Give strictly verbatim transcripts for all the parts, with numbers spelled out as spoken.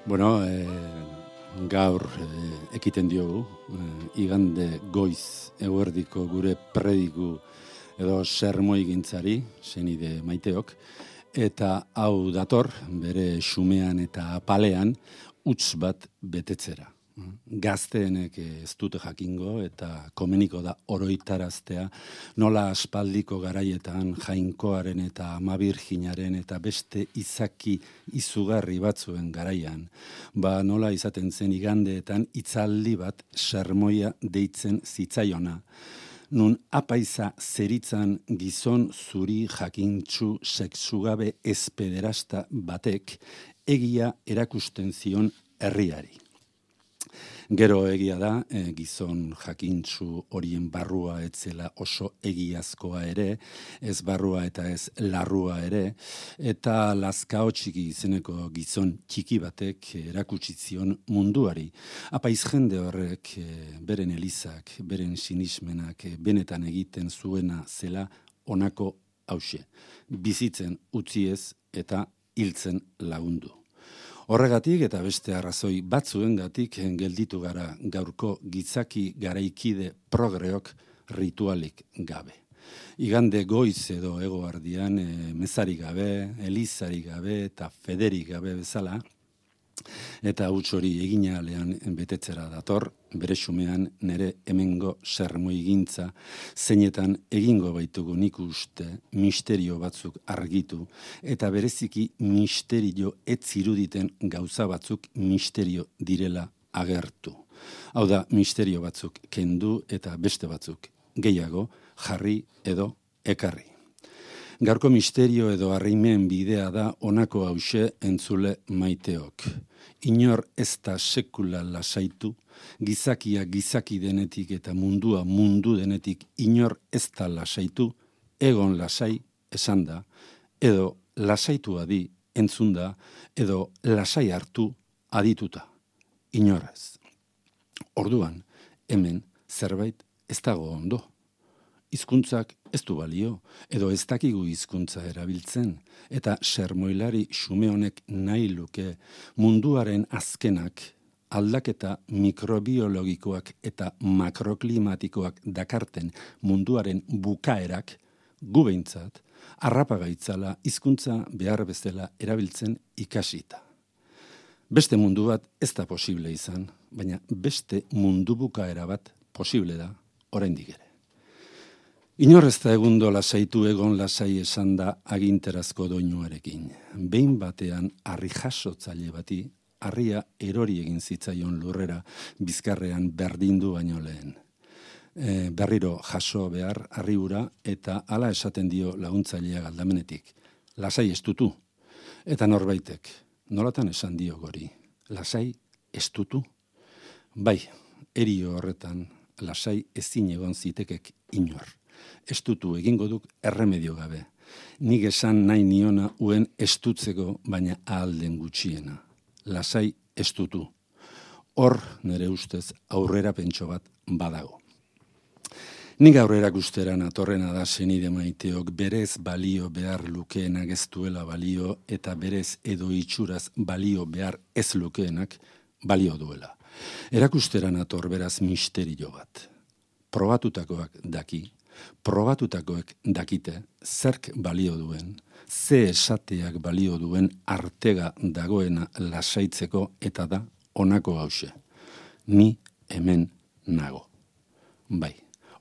Bueno, eh, gaur eh, ekiten diogu, eh, igande goiz eguerdiko gure prediku edo sermoigintzari, senide maiteok, eta hau dator bere xumean eta apalean huts bat betetzera. Gazteenek ez dute jakingo eta komeniko da oroitaraztea nola aspaldiko garaietan Jainkoaren eta Ama Birjinaren eta beste izaki izugarri batzuen garaian, ba nola izaten zen igandeetan hitzaldi bat sermoia deitzen zitzaiona. Nun apaiza zeritzan gizon zuri jakintsu sexugabe espederasta batek egia erakusten zion herriari. Gero egia da, e, gizon jakintsu horien barrua etzela oso egiazkoa ere, ez barrua eta ez larrua ere, eta lazkao txiki izeneko gizon txiki batek erakutsi zion munduari. Apaiz jende horrek e, beren elizak, beren sinismenak e, benetan egiten zuena zela honako hauxe, bizitzen utziez eta hiltzen lagundu. Horregatik eta beste arrazoi batzuengatik gelditu gara gaurko gizaki garaikide progreok ritualik gabe. Igande goiz edo egoardian e, mezarik gabe, elizarik gabe eta federik gabe bezala, eta huts hori eginalean betetzera dator, bere xumean nere hemengo sermoigintza zeinetan egingo baitugu nik uste misterio batzuk argitu, eta bereziki misterio ez ziruditen gauza batzuk misterio direla agertu. Hau da, misterio batzuk kendu eta beste batzuk gehiago jarri edo ekarri. Gaurko misterio edo harrimen bidea da honako hauxe entzule maiteok. Inor ez da sekula lasaitu, gizakia gizaki denetik eta mundua mundu denetik inor ez da lasaitu, egon lasai esan da, edo lasaitu adi entzunda, edo lasai hartu adituta. Inorrez. Orduan, hemen zerbait ez dago ondo. Hizkuntzak ez du balio, edo ez dakigu hizkuntza erabiltzen, eta sermoilari xume honek nahi luke munduaren azkenak aldaketa mikrobiologikoak eta makroklimatikoak dakarten munduaren bukaerak gu behintzat harrapagaitzala hizkuntza behar bezala erabiltzen ikasita. Beste mundu bat ez da posible izan, baina beste mundu bukaera bat posible da oraindik ere. Inor ez da egundo lasaitu egon lasai esan da aginterazko doinuarekin. Behin batean harri jasotzaile bati, harria erori egin zitzaion lurrera bizkarrean berdindu baino lehen. E, berriro jaso behar harri hura eta hala esaten dio laguntzailea galdamenetik. Lasai estutu. Eta norbaitek, nolatan esan dio gori. Lasai estutu? Bai, erio horretan lasai ezin egon zitekek inor. Estutu egingo duk erremedio gabe. Nik esan nahi niona uen estutzeko, baina ahalden gutxiena. Lasai estutu. Hor nere ustez aurrera pentso bat badago. Nik aurrera gusteran atorrena da senide maiteok berez balio behar lukeenak ez duela balio eta berez edo itxuraz balio behar ez lukeenak balio duela. Erakusteran ator beraz misterio bat. Probatutakoak daki, probatutakoek dakite zerk balio duen, ze esateak balio duen artega dagoena lasaitzeko eta da honako hauxe. Ni hemen nago. Bai,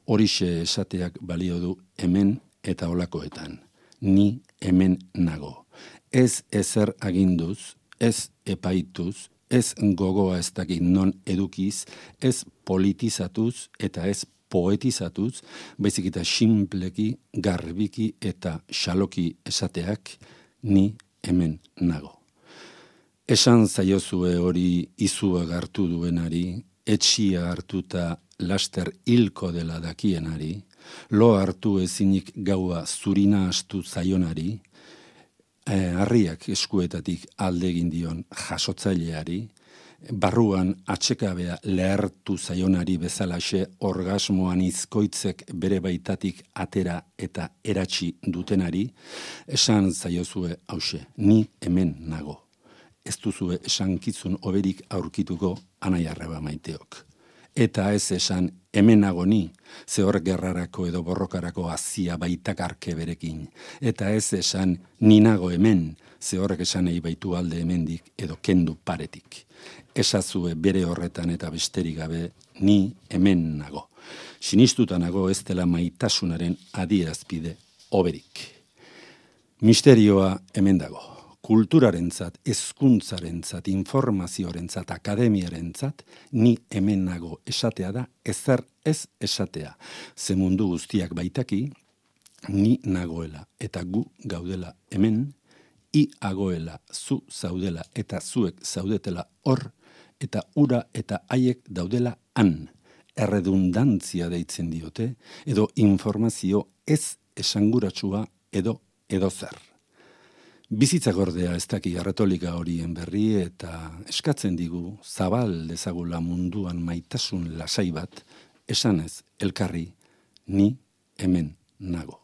horixe esateak balio du hemen eta holakoetan. Ni hemen nago. Ez ezer aginduz, ez epaituz, ez gogoa ez dakit non edukiz, ez politizatuz eta ez poetizatuz, baizik eta sinpleki, garbiki eta xaloki esateak ni hemen nago. Esan zaiozue hori izua gartu duenari, etxia hartuta laster hilko dela dakienari, lo hartu ezinik gaua zurina astu zaionari, eh, harriak eskuetatik alde egin dion jasotzaileari, barruan atxekabea lehertu zaionari bezalaxe orgasmoan izkoitzek bere baitatik atera eta eratsi dutenari, esan zaiozue hause, ni hemen nago. ez duzue esankizun oberik aurkituko anai arreba maiteok. Eta ez esan hemen nago ni, ze hor gerrarako edo borrokarako azia baitakarke berekin. Eta ez esan ni nago hemen, ze horrek esanei baitu alde hemendik edo kendu paretik. Esazue bere horretan eta besterik gabe ni hemen nago. Sinistuta nago ez dela maitasunaren adierazpide oberik. Misterioa hemen dago. Kulturarentzat, hezkuntzarentzat, informazioarentzat, akademiarentzat, ni hemen nago esatea da, ezer ez esatea. Ze mundu guztiak baitaki, ni nagoela eta gu gaudela hemen, i agoela, zu zaudela eta zuek zaudetela hor, eta ura eta haiek daudela han. Erredundantzia deitzen diote, edo informazio ez esanguratsua edo edo zer. Bizitza gordea ez daki erretolika horien berri eta eskatzen digu zabal dezagula munduan maitasun lasai bat, esanez elkarri ni hemen nago.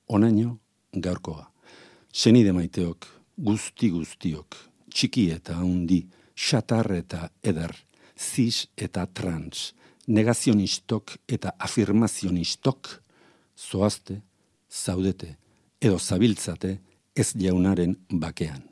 Onaino gaurkoa. Senide maiteok, guzti guztiok, txiki eta handi, xatar eta eder, zis eta trans, negazionistok eta afirmazionistok, zoazte, zaudete, edo zabiltzate ez jaunaren bakean.